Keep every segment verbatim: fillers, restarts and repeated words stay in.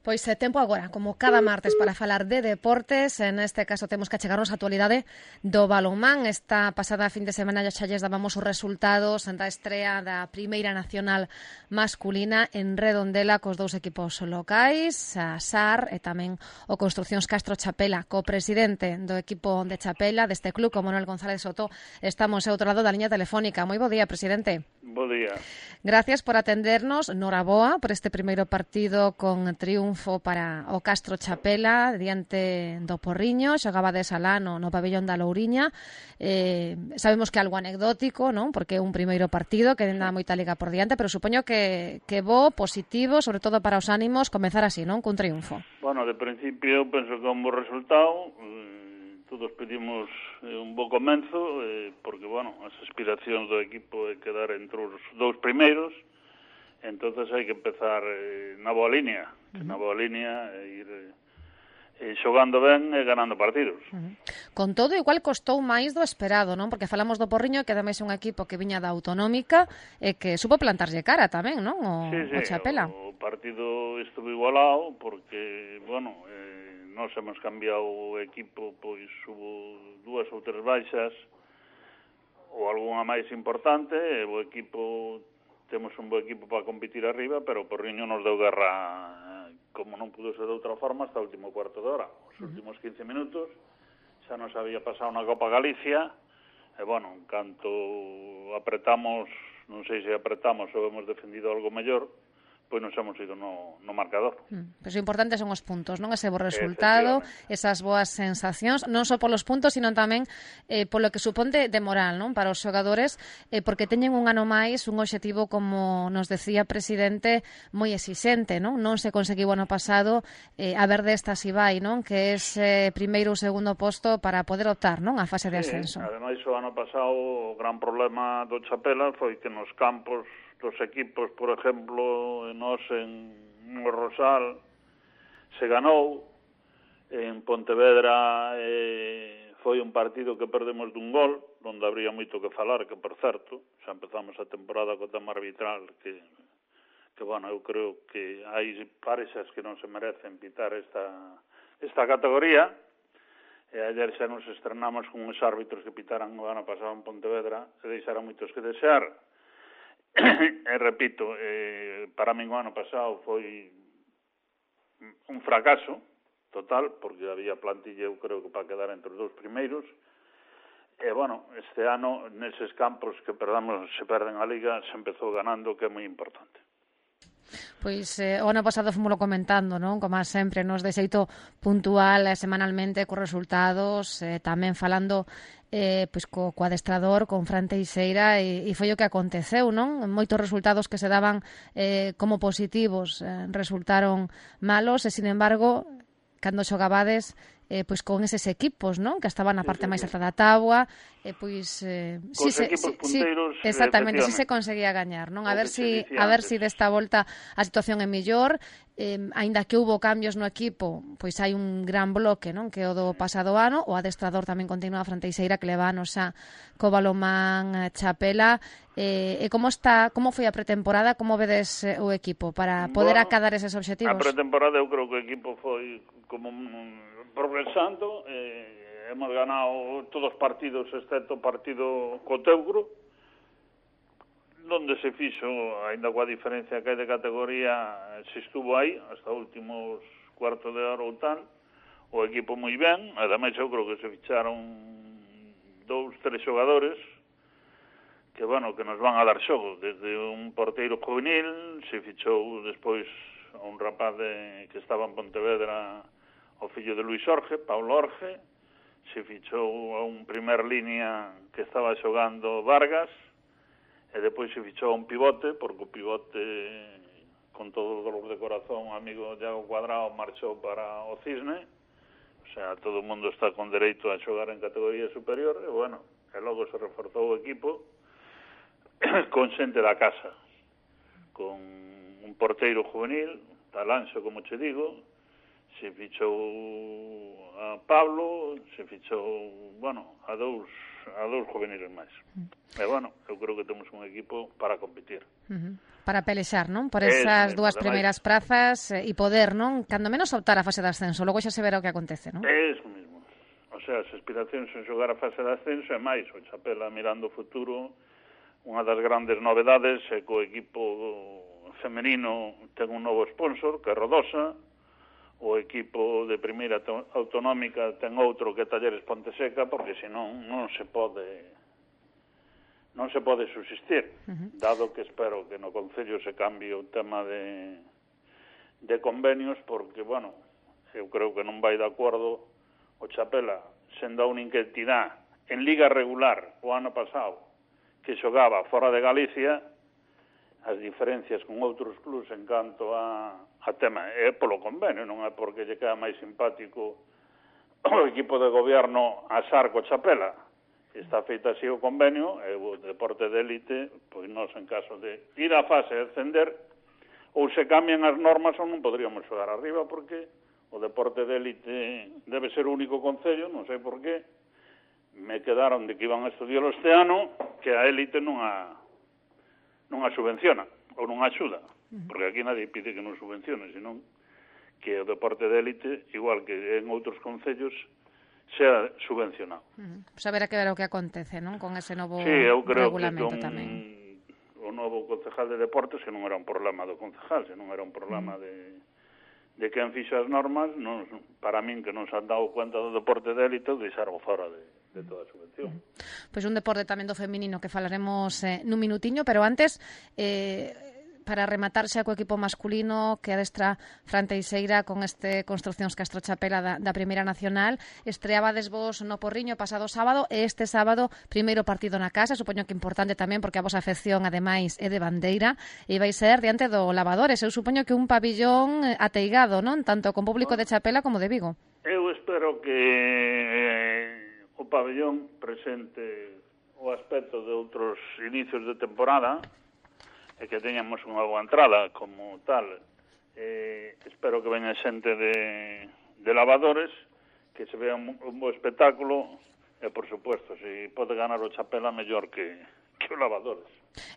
Pois é tempo agora, como cada martes, para falar de deportes. En este caso temos que achegarnos a actualidade do balonmán. Esta pasada fin de semana xa lles dábamos os resultados da estrea da Primeira Nacional masculina en Redondela cos dous equipos locais, a S A R e tamén o Construcións Castro Chapela. Co presidente do equipo de Chapela, deste club, como Manuel González Soto, estamos ao outro lado da liña telefónica. Moi bo día, presidente. Bo día. Gracias por atendernos. Noraboa por este primeiro partido con triunfo para o Castro Chapela diante do Porriño. Xogabades alá no, no pabellón da Louriña. Eh, sabemos que é algo anecdótico, non? Porque é un primeiro partido que ainda moita liga por diante, pero supoño que, que bo, positivo, sobre todo para os ánimos, comezar así, non? Cun triunfo. Bueno, de principio penso que é un bo resultado. Todos pedimos eh, un bo comenzo, eh, porque, bueno, as aspiracións do equipo é quedar entre os dous primeiros, entonces hai que empezar eh, na boa línea, que uh-huh. na boa línea e ir eh, xogando ben e ganando partidos. Uh-huh. Con todo, igual costou máis do esperado, non? Porque falamos do Porriño, que ademais é un equipo que viña da Autonómica e que supo plantarlle cara tamén, non? O, sí, sí, o Chapela. O partido estuvo igualado porque, bueno... Eh, Nos hemos cambiado o equipo, pois hubo dúas ou tres baixas ou algunha máis importante, e o equipo, temos un bo equipo para competir arriba, pero o Porriño nos deu guerra, como non pudo ser de outra forma, hasta o último cuarto de hora. Os últimos quince minutos xa nos había pasado na Copa Galicia, e, bueno, en canto apretamos, non sei se apretamos ou hemos defendido algo mellor, pois nos hemos ido no, no marcador. Mm, pois o importante son os puntos, non? Ese bo resultado, esas boas sensacións, non só polos puntos, sino tamén eh, polo que suponte de moral, non? Para os xogadores, eh, porque teñen un ano máis, un obxectivo, como nos decía presidente, moi exixente, non? Non se conseguiu ano pasado, eh, a ver desta si vai, non? Que é ese primeiro ou segundo posto para poder optar, non? A fase de ascenso. Sí, ademais, o ano pasado, o gran problema do Chapela foi que nos campos dos equipos, por exemplo, nós en no Rosal se ganou, en Pontevedra eh, foi un partido que perdemos dun gol, onde habría moito que falar, que por certo, xa empezamos a temporada co tema arbitral, que, que bueno, eu creo que hai parexas que non se merecen pitar esta, esta categoría, e ayer xa nos estrenamos con uns árbitros que pitaran o ano pasado en Pontevedra, e deixaron moitos que desear. E repito, eh, para min o ano pasado foi un fracaso total, porque había plantilla, eu creo que para quedar entre os dous primeiros, e, bueno, este ano, neses campos que perdamos, se perden a Liga, se empezou ganando, que é moi importante. Pois eh, o ano pasado fomoslo comentando, non? Como sempre, nos de xeito puntual, eh, semanalmente, cos resultados, eh, tamén falando eh, pois co, co adestrador, con Fran Teixeira, e, e foi o que aconteceu, non? Moitos resultados que se daban eh, como positivos eh, resultaron malos, e, sin embargo, cando xogabades eh, pois con eses equipos, non? Que estaban na parte sí, sí, máis alta da táboa, e pois eh, si se, si, punteiros, si, exactamente, si se conseguía gañar, non? A ver si a ver si desta volta a situación é mellor, eh, aínda que houbo cambios no equipo, pois hai un gran bloque, non? Que o do pasado ano, o adestrador tamén continúa a Fran Teixeira, que levanos a co balonmán Chapela. Eh, e como está, como foi a pretemporada, como vedes eh, o equipo para poder bueno, acadar eses obxectivos? A pretemporada eu creo que o equipo foi como un progresando, eh, hemos ganado todos os partidos excepto o partido co Teugro, donde se fixo, ainda coa diferencia que hai de categoría, se estuvo aí hasta últimos cuarto de hora ou tal, o equipo moi ben, ademais eu creo que se ficharon dous, tres xogadores que, bueno, que nos van a dar xogo, desde un porteiro juvenil, se fichou despois a un rapaz de, que estaba en Pontevedra, o fillo de Luis Orge, Paulo Orge, se fichou a un primer línea que estaba xogando Vargas, e depois se fichou a un pivote, porque o pivote, con todo o dolor de corazón, o amigo Iago Cuadrado marchou para o Cisne, o sea, todo o mundo está con dereito a xogar en categoría superior, e, bueno, e logo se reforzou o equipo con xente da casa, con un porteiro juvenil, Talanxo, como che digo, se fichou a Pablo, se fichou, bueno, a dous a dous juveniles máis. Uh-huh. E, bueno, eu creo que temos un equipo para competir. Uh-huh. Para pelexar, non? Por esas dúas primeiras prazas e eh, poder, non? Cando menos optar a fase de ascenso, logo xa se verá o que acontece, non? É iso mesmo. O sea, as aspiracións en xogar a fase de ascenso e máis, o Chapela mirando o futuro, unha das grandes novedades é que o equipo femenino ten un novo sponsor, que é Rodosa, o equipo de primeira autonómica ten outro que é Talleres Ponteseca, porque senón non se pode... non se pode subsistir, uh-huh. dado que espero que no Concello se cambie o tema de, de convenios, porque, bueno, eu creo que non vai de acordo o Chapela, sendo unha entidade en liga regular o ano pasado, que xogaba fora de Galicia, as diferencias con outros clubs en canto a, a tema é polo convenio, non é porque lle queda máis simpático o equipo de goberno a Sarco Chapela. Está feita así o convenio, e o deporte de élite, pois nós en caso de ir á fase de ascender, ou se cambian as normas ou non podríamos xogar arriba, porque o deporte de élite debe ser o único concello, non sei por qué, me quedaron de que iban a estudiar este ano, que a élite non a, non a subvenciona, ou non a axuda, porque aquí nadie pide que non subvencione, senón que o deporte de élite, igual que en outros concellos, sea subvencionado. Uh-huh. Pues a ver a que ver o que acontece, non? Con ese novo sí, eu creo regulamento que con tamén. O novo concejal de deportes, que non era un problema do concejal, senón era un problema uh-huh. de, de quen fixo as normas, non, para min que non se han dado cuenta do deporte de élite, deixaron fora de, de toda a subvención. Uh-huh. Pois pues un deporte tamén do feminino que falaremos eh, nun minutiño, pero antes... Eh, para rematar xa co equipo masculino que adestra Fran Teixeira con este Construcións Castro Chapela da, da Primeira Nacional. Estreabades vos no Porriño pasado sábado e este sábado primeiro partido na casa, supoño que importante tamén porque a vosa afección ademais é de bandeira e vai ser diante do Lavadores. Eu supoño que un pabillón ateigado, non? Tanto con público de Chapela como de Vigo. Eu espero que eh, o pabillón presente o aspecto de outros inicios de temporada e que teñamos unha boa entrada como tal. Eh, espero que veña xente de, de Lavadores, que se vea un, un bo espectáculo e, por supuesto, se pode ganar o Chapela mellor que, que o Lavadores.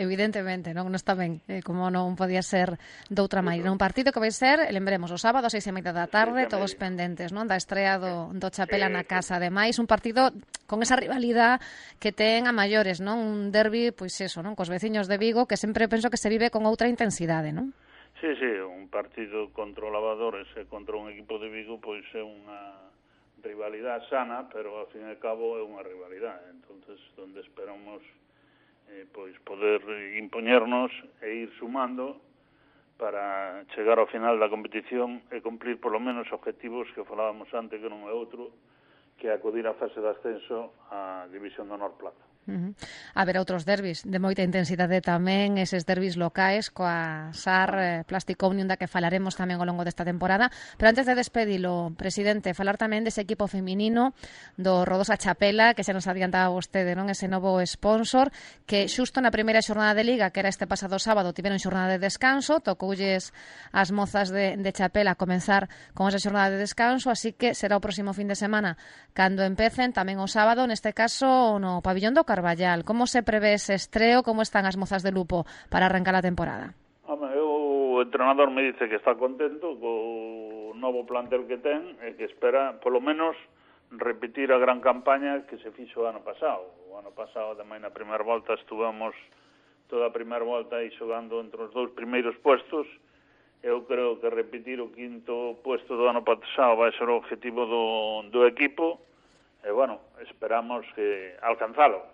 Evidentemente, non, non está ben, eh, como non podía ser doutra maneira. Un partido que vai ser, lembremos, o sábado a seis e media da tarde, todos pendentes, non, da estrea do, do Chapela na casa. Ademais, un partido con esa rivalidade que ten a maiores, non? Un derbi, pois eso, non? Cos veciños de Vigo, que sempre penso que se vive con outra intensidade, non? Sí, sí, un partido contra o Lavadores e contra un equipo de Vigo, pois é unha rivalidade sana, pero ao fin e ao cabo é unha rivalidade. Entonces, onde esperamos eh, pois poder impoñernos e ir sumando para chegar ao final da competición e cumplir polo menos objetivos que falábamos antes, que non é outro, que acudir á fase de ascenso á División de Honor Plata. Uh-huh. Haberá outros derbis de moita intensidade tamén, eses derbis locais coa S A R eh, Plastic Omnium da que falaremos tamén ao longo desta temporada, pero antes de despedilo, presidente, falar tamén dese equipo feminino do Rodosa Chapela, que xa nos adiantaba vostede, non, ese novo sponsor, que xusto na primeira xornada de Liga, que era este pasado sábado, tiveron xornada de descanso, tocoulles as mozas de, de Chapela a comenzar con esa xornada de descanso, así que será o próximo fin de semana cando empecen, tamén o sábado, neste caso no pabillón do Carballal. Como se prevé ese estreo? Como están as mozas de Lupo para arrancar a temporada? Home, o entrenador me dice que está contento co novo plantel que ten e que espera, polo menos, repetir a gran campaña que se fixo o ano pasado. O ano pasado, ademais, na primeira volta, estuvamos toda a primeira volta aí xogando entre os dous primeiros puestos. Eu creo que repetir o quinto puesto do ano pasado vai ser o objetivo do, do equipo e, bueno, esperamos que alcanzalo.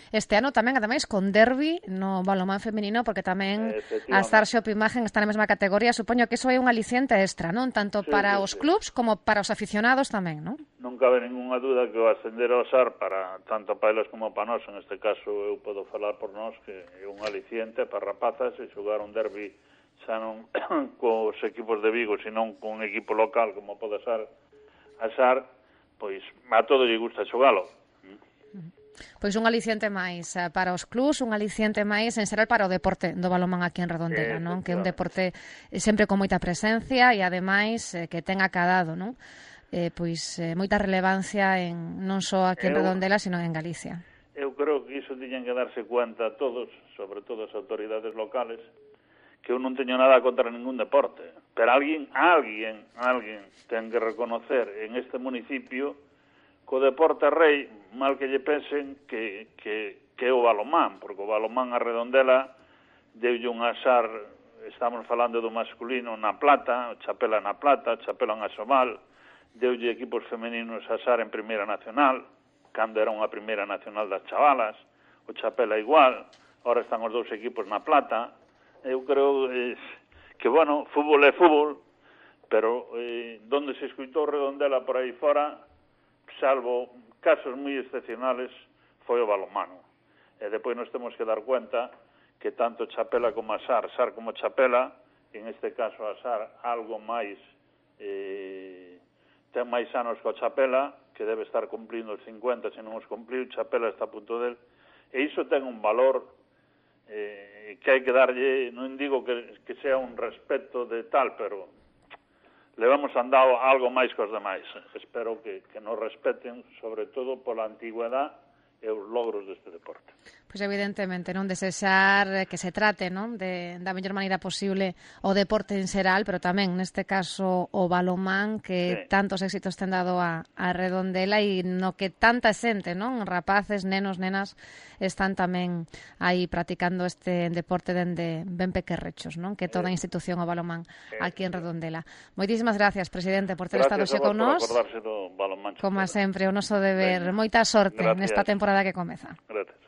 Este ano tamén, ademais, con derbi no balonmán feminino, porque tamén a Starshop Imagen está na mesma categoría. Supoño que iso é un aliciente extra, non? Tanto sí, para sí, os clubs sí. como para os aficionados tamén, non? Non cabe ninguna duda que o ascender ao S A R para tanto para elas como para nós, en este caso eu podo falar por nós, que é un aliciente para rapazas e xogar un derbi xa non cos equipos de Vigo, senón con un equipo local como pode ser a S A R, pois a todo lle gusta xogalo. Pois un aliciente máis para os clubs, un aliciente máis en xeral para o deporte do balonmán aquí en Redondela, non? Que é un deporte sempre con moita presencia e ademais que ten acadado, non? eh, pois eh, moita relevancia en non só aquí en Redondela, sino en Galicia. Eu creo que iso tiñen que darse cuenta todos, sobre todo as autoridades locales, que eu non teño nada contra ningún deporte, pero alguén, alguén, alguén ten que reconocer en este municipio que o deporte rei, mal que lle pensen, que, que, que é o balomán, porque o balomán a Redondela deulle un asar, estamos falando do masculino na plata, o Chapela na plata, Chapela en Asomal, deulle equipos femeninos asar en Primeira Nacional, cando era unha Primeira Nacional das chavalas, o Chapela igual, ahora están os dous equipos na plata. Eu creo eh, que, bueno, fútbol é fútbol, pero eh, donde se escutou Redondela por aí fora, salvo casos moi excepcionales, foi o balonmano. E depois nos temos que dar cuenta que tanto Chapela como Asar, Asar como Chapela, en este caso Asar algo máis, eh, ten máis anos que o Chapela, que debe estar cumplindo os cincuenta, se non os cumpliu, Chapela está a punto del, e iso ten un valor eh, que hai que darlle, non digo que, que sea un respeto de tal, pero le vamos andado algo máis que os demais. Espero que, que nos respeten, sobre todo pola antigüedade e os logros deste deporte. Pois evidentemente, non desexar que se trate, non, de da mellor maneira posible o deporte en xeral, pero tamén neste caso o balonmán, que sí, tantos éxitos ten dado a, a Redondela e no que tanta xente, non, rapaces, nenos, nenas, están tamén aí practicando este deporte dende ben pequerrechos, non, que toda a institución o balonmán aquí en Redondela. Moitísimas gracias, presidente, por ter estado xe con nós. Gracias a vos por acordarse do balonmán. Como sempre, o noso deber. Moita sorte nesta temporada que comeza. Gracias.